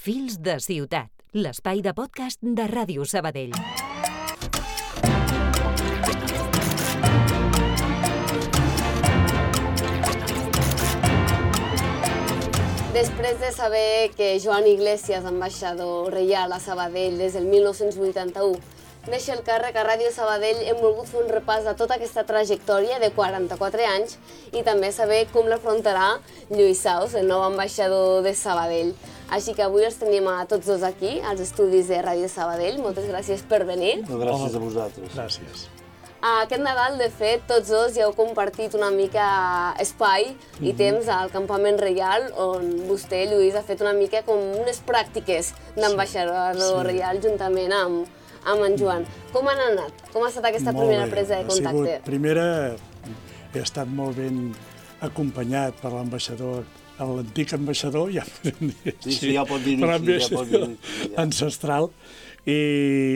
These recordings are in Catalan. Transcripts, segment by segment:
Fils de ciutat, l'espai de podcast de Ràdio Sabadell. Després de saber que Joan Iglesias, ambaixador reial a Sabadell des del 1981, deixa el càrrec a Ràdio Sabadell, hem volgut fer un repàs de tota aquesta trajectòria de 44 anys i també saber com l'afrontarà Lluís Saus, el nou ambaixador de Sabadell. Així que avui els tenim a tots dos aquí, als estudis de Ràdio Sabadell. Moltes gràcies per venir. Gràcies a vosaltres. Gràcies. Aquest Nadal, de fet, tots dos ja heu compartit una mica espai i temps al Campament Reial, on vostè, Lluís, ha fet una mica com unes pràctiques d'ambaixador reial juntament amb en Joan. Com han anat? Com ha estat aquesta primera presa de contacte? Primera, he estat molt ben acompanyat per l'ambaixador, l'antic ambaixador, ja podem dir així. Sí, ja pot dir-ho així. Ancestral. I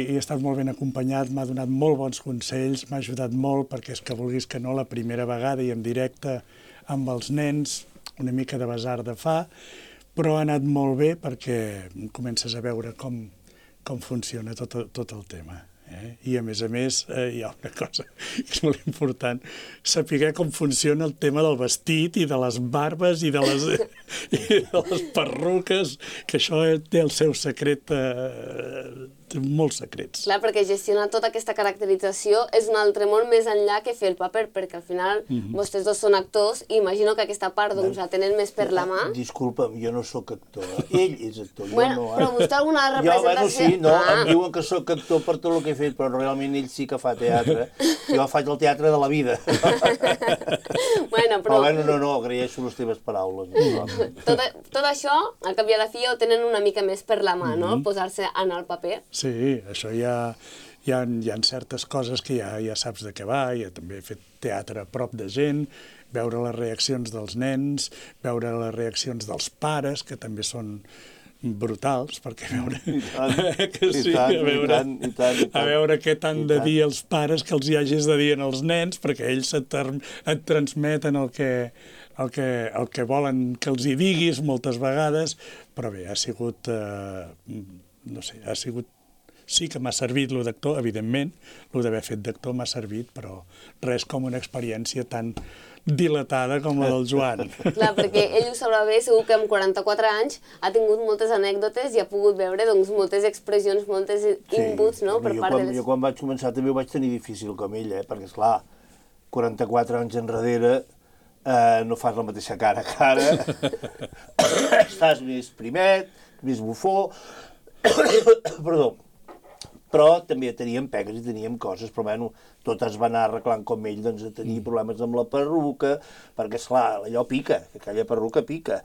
he estat molt ben acompanyat, m'ha donat molt bons consells, m'ha ajudat molt, perquè és que vulguis que no, la primera vegada i en directe amb els nens, una mica de basar de fa, però ha anat molt bé perquè comences a veure com funciona tot el tema. I a més, hi ha una cosa que és molt important, saber com funciona el tema del vestit i de les barbes i de les perruques, que això té el seu secret, té molts secrets. Clar, perquè gestionar tota aquesta caracterització és un altre món més enllà que fer el paper, perquè al final vostès dos són actors i imagino que aquesta part la tenen més per la mà. Disculpa'm, jo no sóc actor, ell és actor, jo no. Però vostè alguna representació... Sí, em diuen que sóc actor per tot el que he fet, però realment ell sí que fa teatre. Jo faig el teatre de la vida. Però no, agraeixo les teves paraules. Tot això, al cap i a la fi, ho tenen una mica més per la mà, no? Posar-se en el paper. Sí, això hi ha certes coses que ja saps de què va, ja també he fet teatre a prop de gent, veure les reaccions dels nens, veure les reaccions dels pares, que també són brutals, perquè a veure què t'han de dir els pares que els hi hagis de dir als nens, perquè ells et transmeten el que volen que els hi diguis moltes vegades, però bé, ha sigut, no sé, sí que m'ha servit lo d'actor, evidentment, lo d'haver fet d'actor m'ha servit, però res com una experiència tan dilatada com la del Joan. Clar, perquè ell ho sabrà bé, segur que amb 44 anys ha tingut moltes anècdotes i ha pogut veure moltes expressions, moltes inputs, no?, per part de les... Jo quan vaig començar també ho vaig tenir difícil com ell, perquè, esclar, 44 anys enrere no fas la mateixa cara que ara, estàs més primet, més bufó, perdó, però també teníem pegues i teníem coses, però bueno, tot es va anar arreglant com ell, doncs a tenir problemes amb la perruca, perquè esclar, allò pica, aquella perruca pica.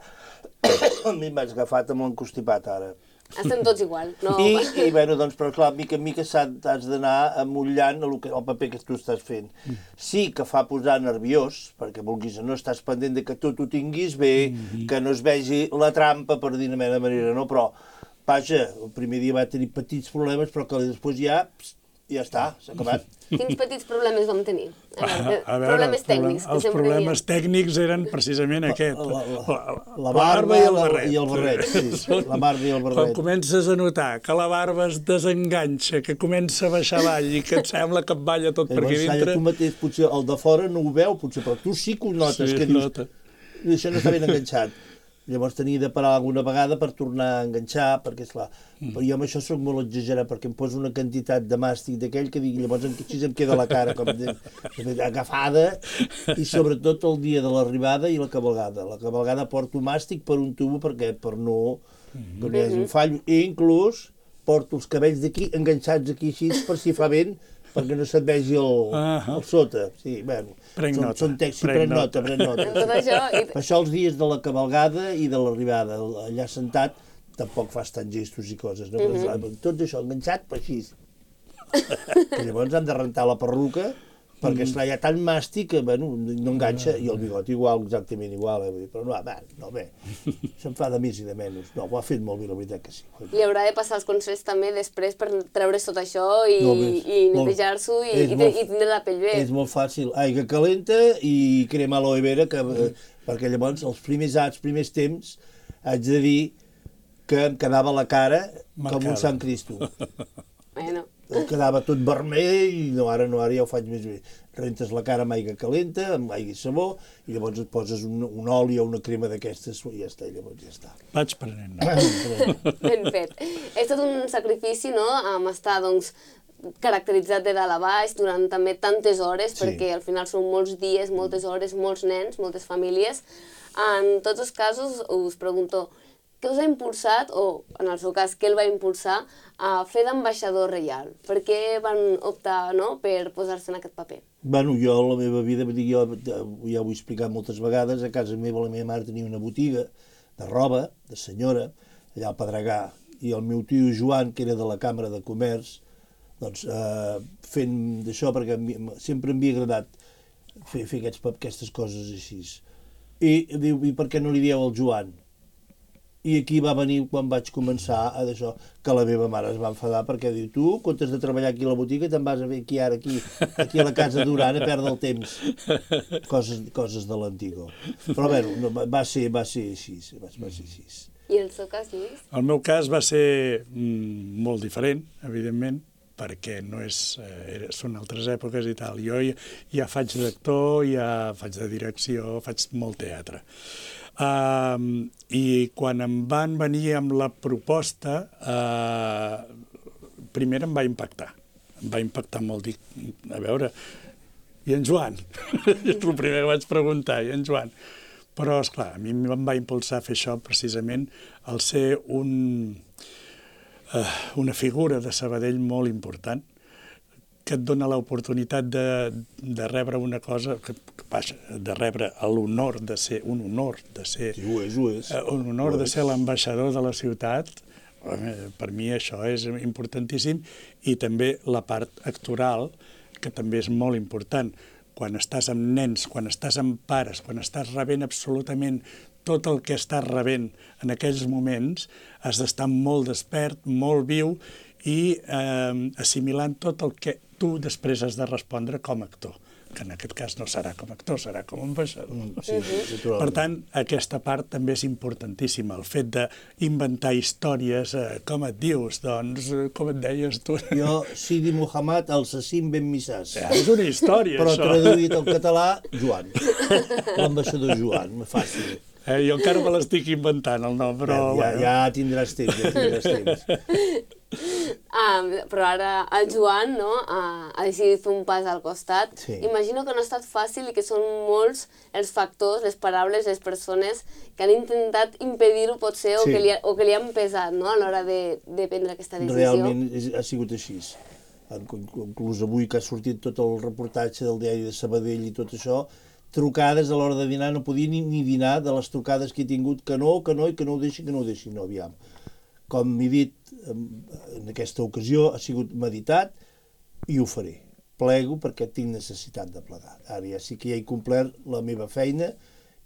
A mi m'has agafat amb l'encostipat ara. Estem tots igual, no? I bueno, doncs, però clar, mica en mica has d'anar amollant el paper que tu estàs fent. Sí que fa posar nerviós, perquè vulguis o no estàs pendent de que tu t'ho tinguis bé, que no es vegi la trampa, per dir-ne de manera, no? Però vaja, el primer dia va tenir petits problemes, però que després ja està, s'ha acabat. Quins petits problemes vam tenir? Problemes tècnics. Els problemes tècnics eren precisament aquest. La barba i el barret. La barba i el barret. Quan comences a notar que la barba es desenganxa, que comença a baixar avall i que et sembla que et balla tot per aquí dintre... Tu mateix, potser el de fora no ho veu, potser, però tu sí que ho notes, que dius, això no està ben enganxat. Llavors tenia de parar alguna vegada per tornar a enganxar, perquè, esclar, però jo amb això soc molt exagerat, perquè em poso una quantitat de màstic d'aquell que dic, llavors així em queda la cara com agafada, i sobretot el dia de l'arribada i la cabalgada. La cabalgada porto màstic per un tubo per no hi hagi un fall, i inclús porto els cabells d'aquí enganxats aquí així per si fa vent, perquè no se't vegi el sota. Sí, bueno, són textos, pren nota. Per això els dies de la cabalgada i de l'arribada, allà sentat, tampoc fas tants gestos i coses, no? Tot això enganxat, però així. Llavors han de rentar la perruca, perquè hi ha tant màstic que no enganxa, i el bigot igual, exactament igual, però no, bé, se'n fa de més i de menys. No, ho ha fet molt bé, la veritat que sí. Li haurà de passar els consells també després per treure's tot això i netejar-s'ho i tindre la pell bé. És molt fàcil, aigua calenta i crema aloe vera, perquè llavors els primers temps haig de dir que em quedava la cara Marcada. com un Sant Cristo. Bueno, Em quedava tot vermell i no, ara ja ho faig més bé. Rentes la cara amb aigua calenta, amb aigua i sabó, i llavors et poses un oli o una crema d'aquestes i ja està, i llavors ja està. Vaig prenent, no? ben fet. És tot un sacrifici, no?, amb estar, doncs, caracteritzat de dalt a baix durant també tantes hores, Sí. perquè al final són molts dies, moltes hores, molts nens, moltes famílies. En tots els casos, us pregunto, què us ha impulsat, o en el seu cas, què el va impulsar a fer d'ambaixador reial? Per què van optar, no?, per posar-se en aquest paper? Bueno, jo, la meva vida, jo ja ho he explicat moltes vegades, a casa meva la meva mare tenia una botiga de roba, de senyora, allà al Pedregà, i el meu tio Joan, que era de la Càmera de Comerç, doncs fent d'això, perquè sempre em havia agradat fer aquestes coses així. I diu, i per què no li dieu al Joan? I aquí va venir quan vaig començar a d'això, que la meva mare es va enfadar perquè diu, tu, en comptes de treballar aquí a la botiga, te'n vas a fer aquí a la casa Duran a perdre el temps. Coses de l'antigo. Però bé, no, va ser així, va ser així. I el seu cas, Lluís? El meu cas va ser molt diferent, evidentment, perquè no és, són altres èpoques i tal. Jo ja faig d'actor, ja faig de direcció, faig molt teatre. I quan em van venir amb la proposta, primer em va impactar molt, dic, a veure, i en Joan? És el primer que vaig preguntar, i en Joan? Però, esclar, a mi em va impulsar a fer això precisament al ser una figura de Sabadell molt important, que et dona l'oportunitat de rebre una cosa, de rebre l'honor de ser, un honor de ser... Sí, ho és. Un honor de ser l'ambaixador de la ciutat. Per mi això és importantíssim, i també la part actoral, que també és molt important. Quan estàs amb nens, quan estàs amb pares, quan estàs rebent absolutament tot el que estàs rebent en aquells moments, has d'estar molt despert, molt viu, i assimilant tot el que tu després has de respondre com a actor, que en aquest cas no serà com a actor, serà com a ambaixador. Sí, Per tant, aquesta part també és importantíssima, el fet d'inventar històries, com et dius, doncs, com et deies tu? Jo, Sidi Muhammad, el Sassim Ben Missàs. És una història, però això. Però traduït al català, Joan. L'ambaixador Joan, fàcil. Jo encara me l'estic inventant, el nom, però... Ja tindràs temps, Però ara el Joan, no, ha decidit fer un pas al costat. Sí. Imagino que no ha estat fàcil i que són molts els factors, les paraules, les persones que han intentat impedir-ho potser, o, Sí. que li han pesat, no, a l'hora de prendre aquesta decisió. Realment ha sigut així. Inclús avui que ha sortit tot el reportatge del diari de Sabadell i tot això, trucades a l'hora de dinar, no podia ni dinar de les trucades que he tingut, que no, i que no ho deixi, no, aviam. Com m'he dit, en aquesta ocasió ha sigut meditat i ho faré. Plego perquè tinc necessitat de plegar. Ara ja sí que ja he complert la meva feina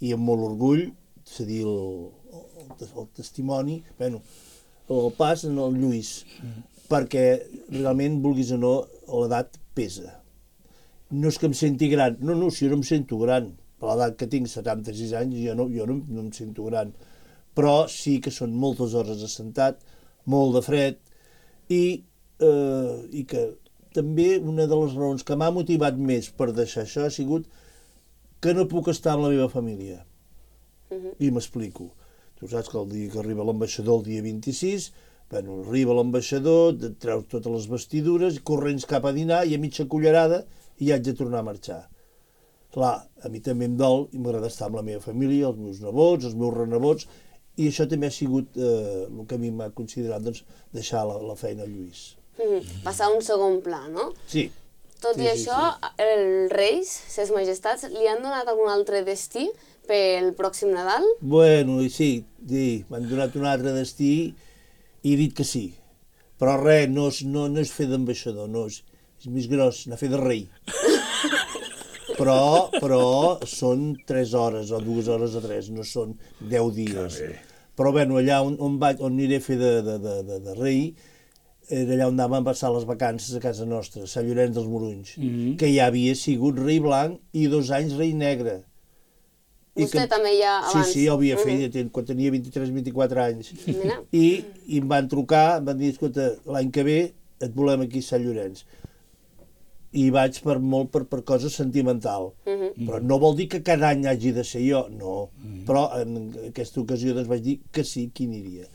i amb molt orgull cedir el testimoni, bueno, el pas en el Lluís, perquè realment, vulguis o no, l'edat pesa. No és que em senti gran, no, si jo no em sento gran. Per l'edat que tinc, 76 anys, jo no em sento gran. Però sí que són moltes hores assentat, molt de fred, i que també una de les raons que m'ha motivat més per deixar això ha sigut que no puc estar amb la meva família. I m'explico. Tu saps que el dia que arriba l'ambaixador, el dia 26, bueno, arriba l'ambaixador, treu totes les vestidures, corrents cap a dinar, i a mitja cullerada i haig de tornar a marxar. Clar, a mi també em dol i m'agrada estar amb la meva família, els meus nebots, els meus renebots, i això també ha sigut el que a mi m'ha considerat, doncs, deixar la feina a Lluís. Passar a un segon pla, no? Sí. Tot i això, els reis, ses majestats, li han donat algun altre destí pel pròxim Nadal? Bueno, sí, m'han donat un altre destí i he dit que sí. Però res, no és fer d'ambaixador, no, és més gros, anar a fer de rei. Però són 3 hores o 2 hores o 3, no són 10 dies. Però bueno, allà on aniré a fer de rei, era allà on anàvem a passar les vacances a casa nostra, a Sant Llorenç dels Morunys, que ja havia sigut rei blanc i 2 anys rei negre. Vostè també ja abans? Sí, jo havia fet quan tenia 23-24 anys. I em van trucar, em van dir, escolta, l'any que ve et volem aquí a Sant Llorenç. I vaig per cosa sentimental. Però no vol dir que cada any hagi de ser jo, no. Però en aquesta ocasió doncs vaig dir que sí, que hi aniria.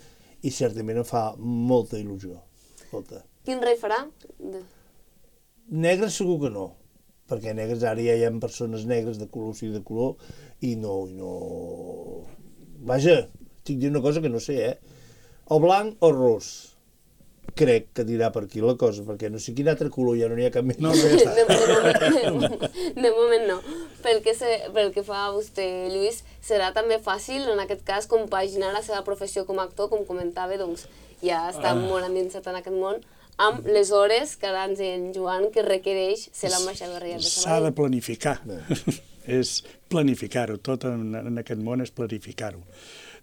I certament em fa molta il·lusió. Molta. Quin rei farà? Negres segur que no, perquè negres ara ja hi ha persones negres de color sí de color i no... Vaja, estic dient una cosa que no sé, o blanc o ros. Crec que dirà per aquí la cosa, perquè no sé quin altre color, ja no n'hi ha cap més. No, ja està. De moment no. Pel que fa a vostè, Lluís, serà també fàcil, en aquest cas, compaginar la seva professió com a actor, com comentava, doncs ja està molt endinsat en aquest món, amb les hores que ara ens deia en Joan que requereix ser l'ambaixador reial de Sabadell. S'ha de planificar. És planificar-ho. Tot en aquest món és planificar-ho.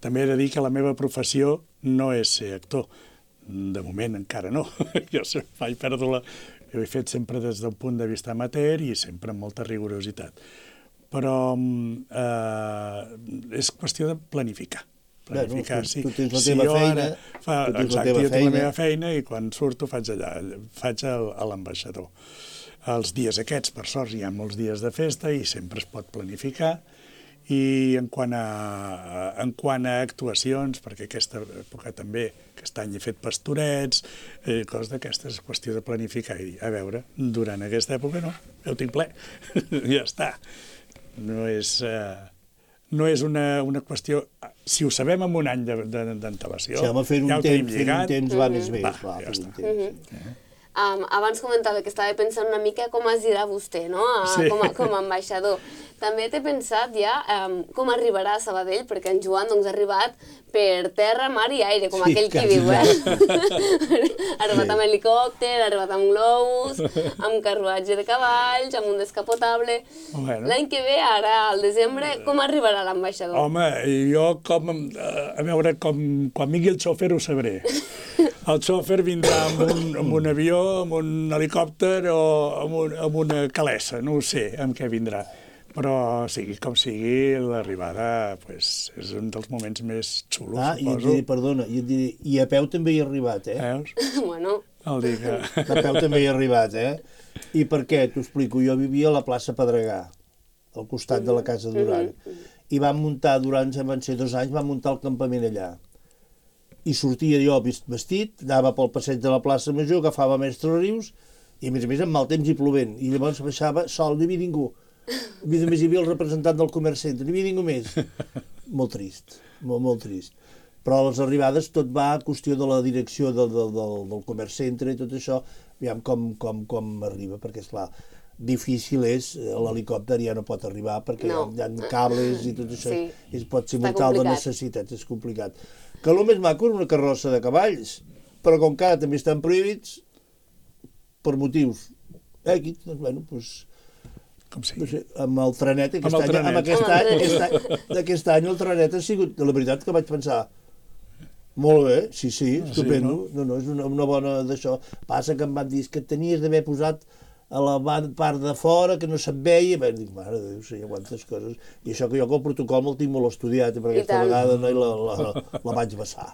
També he de dir que la meva professió no és ser actor. De moment encara no. Jo vaig perdre ho he fet sempre des d'un punt de vista amateur i sempre amb molta rigorositat. Però és qüestió de planificar. Planificar, sí. Tu tens la teva feina. Exacte, jo tinc la meva feina i quan surto faig allà, faig a l'ambaixador. Els dies aquests, per sort, hi ha molts dies de festa i sempre es pot planificar. I en quant a actuacions, perquè aquesta època també, aquest any he fet pastorets, coses d'aquestes, és qüestió de planificar i dir, a veure, durant aquesta època no, ja ho tinc ple, ja està. No és una qüestió... Si ho sabem en un any d'antelació, ja ho tenim lligat. Fer un temps va més bé, clar, ja està. Abans comentava que estava pensant una mica com es dirà vostè, no? Com a ambaixador. També t'he pensat ja com arribarà a Sabadell, perquè en Joan ha arribat per terra, mar i aire, com aquell qui diu, Ha arribat amb helicòpter, ha arribat amb globus, amb carruatge de cavalls, amb un descapotable... L'any que ve, ara, al desembre, com arribarà l'ambaixador? Home, jo a veure, quan vingui el xòfer ho sabré. El xòfer vindrà amb un avió, amb un helicòpter o amb una calessa, no ho sé amb què vindrà. Però, sigui com sigui, l'arribada és un dels moments més xulos, suposo. I et diré, perdona, i a peu també hi ha arribat, Veus? Bueno. El dir que... A peu també hi ha arribat, I per què? T'ho explico. Jo vivia a la plaça Pedregà, al costat de la Casa Duran. I vam muntar, durant, van ser 2 anys, vam muntar el campament allà. I sortia jo vestit, anava pel passeig de la plaça Major, agafava Mestre Rius, i a més amb mal temps i plovent. I llavors baixava sol, no hi havia ningú. A més hi havia el representant del Comerç Centre, no hi havia ningú més. Molt trist, molt trist. Però a les arribades tot va a qüestió de la direcció del Comerç Centre i tot això, aviam com arriba, perquè esclar, difícil és, l'helicòpter ja no pot arribar perquè hi ha cables i tot això, pot ser molt tal de necessitats, és complicat. Que el més maco és una carrossa de cavalls, però com que ara també estan prohibits, per motius èquids, doncs bueno, doncs... Com sigui. No sé, amb el trenet, aquest any el trenet ha sigut, la veritat que vaig pensar, molt bé, sí, estupendo, no, és una bona d'això. Passa que em van dir que tenies d'haver posat a la part de fora, que no se't veia, i dic, mare de Déu, sí, quantes coses. I això que jo que el protocol me'l tinc molt estudiat, i per aquesta vegada la vaig vessar.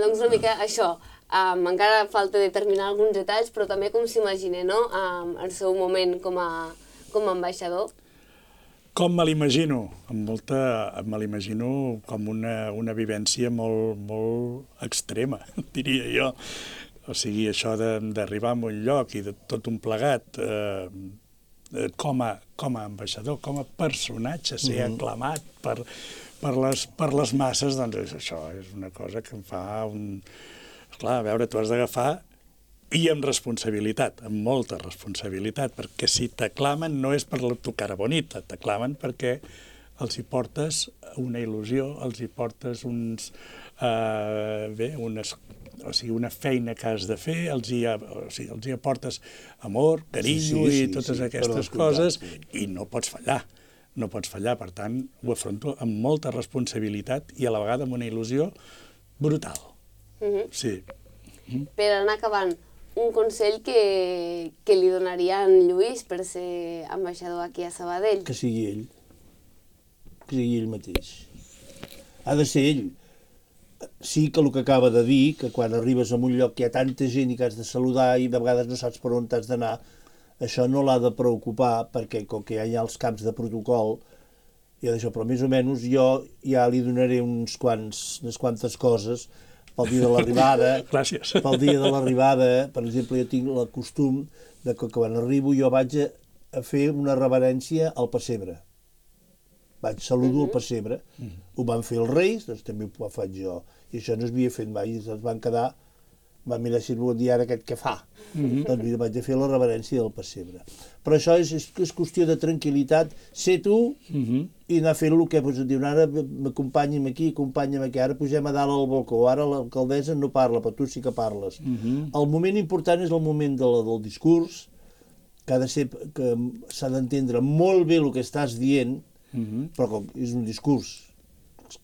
Doncs una mica això, encara falta determinar alguns detalls, però també com s'imagina, no?, el seu moment com a ambaixador. Com me l'imagino? Me l'imagino com una vivència molt extrema, diria jo. O sigui, això d'arribar a un lloc i de tot un plegat, com a ambaixador, com a personatge, ser aclamat per les masses, doncs això és una cosa que em fa un... Clar, a veure, tu has d'agafar i amb responsabilitat, amb molta responsabilitat, perquè si t'aclamen no és per la tu cara bonita, t'aclamen perquè els hi portes una il·lusió, els hi portes una feina que has de fer, els hi aportes amor, carinyo i totes aquestes coses, i no pots fallar. No pots fallar, per tant, ho afronto amb molta responsabilitat i a la vegada amb una il·lusió brutal. Sí. Per anar acabant, un consell que li donaria a en Lluís per ser ambaixador aquí a Sabadell? Que sigui ell. Que sigui ell mateix. Ha de ser ell. Sí que el que acaba de dir, que quan arribes a un lloc que hi ha tanta gent i que has de saludar i de vegades no saps per on t'has d'anar, això no l'ha de preocupar, perquè com que ja hi ha els camps de protocol, i d'això, però més o menys jo ja li donaré unes quantes coses pel dia de l'arribada. Gràcies. Pel dia de l'arribada, per exemple, jo tinc el costum de que quan arribo jo vaig a fer una reverència al pessebre. Saludo al pessebre. Ho van fer els reis, doncs també ho faig jo. I això no s'havia fet mai, i es van quedar, van mirar si bon dia ara aquest què fa. Doncs mira, vaig a fer la reverència del pessebre. Però això és qüestió de tranquil·litat, ser tu i anar fent el que diuen, ara m'acompanyem aquí, ara pugem a dalt al balcó, ara l'alcaldessa no parla, però tu sí que parles. El moment important és el moment del discurs, que s'ha d'entendre molt bé el que estàs dient, però com és un discurs,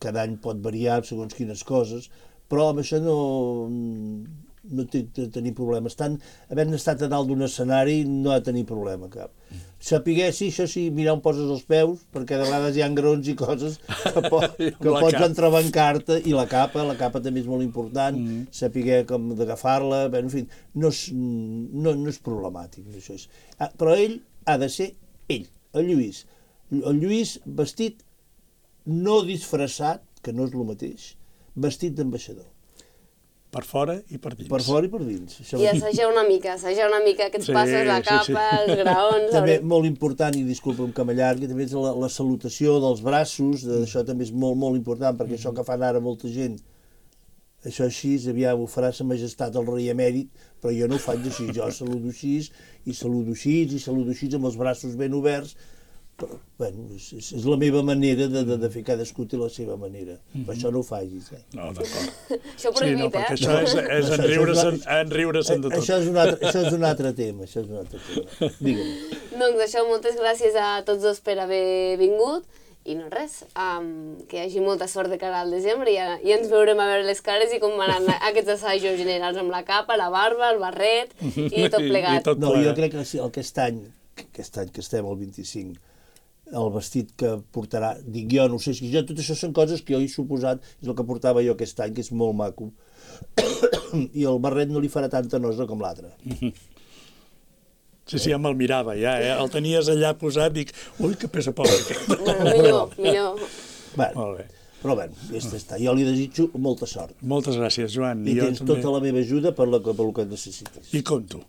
cada any pot variar segons quines coses, però amb això no té de tenir problemes. Havent estat a dalt d'un escenari no ha de tenir problema cap. Sapiguer, sí, això sí, mirar on poses els peus, perquè de vegades hi ha graons i coses que pots entrebancar-te, i la capa també és molt important, sapiguer com d'agafar-la, en fi, no és problemàtic. Però ell ha de ser ell, el Lluís. El Lluís vestit, no disfressat, que no és el mateix, vestit d'ambaixador. Per fora i per dins. Per fora i per dins. I assajar una mica aquests passos, la capa, els graons... També molt important, i disculpa'm que m'allargui, també és la salutació dels braços, això també és molt, molt important, perquè això que fan ara molta gent, això així, aviam, ho farà sa majestat el rei emèrit, però jo no ho faig així, jo saludo així, i saludo així, amb els braços ben oberts. Però, bueno, és la meva manera de fer, cadascú té la seva manera. Però això no ho facis, No, d'acord. Això prohibit, no, perquè això és enriure-se'n de tot. Això és un altre tema, Digue'm. Doncs això, moltes gràcies a tots dos per haver vingut, i no res, que hi hagi molta sort de cara al desembre, i ens veurem a veure les cares i com van anar aquests assajos generals amb la capa, la barba, el barret i tot plegat. No, jo crec que aquest any que estem al 25, el vestit que portarà, dic jo, no sé, tot això són coses que jo he suposat, és el que portava jo aquest any, que és molt maco, i el barret no li farà tanta nosa com l'altre. Sí, ja me'l mirava, ja, el tenies allà posat, dic, ui, que pesa poc aquest. Millor. Molt bé. Però bé, jo li desitjo molta sort. Moltes gràcies, Joan. I tens tota la meva ajuda per el que necessites. I compto.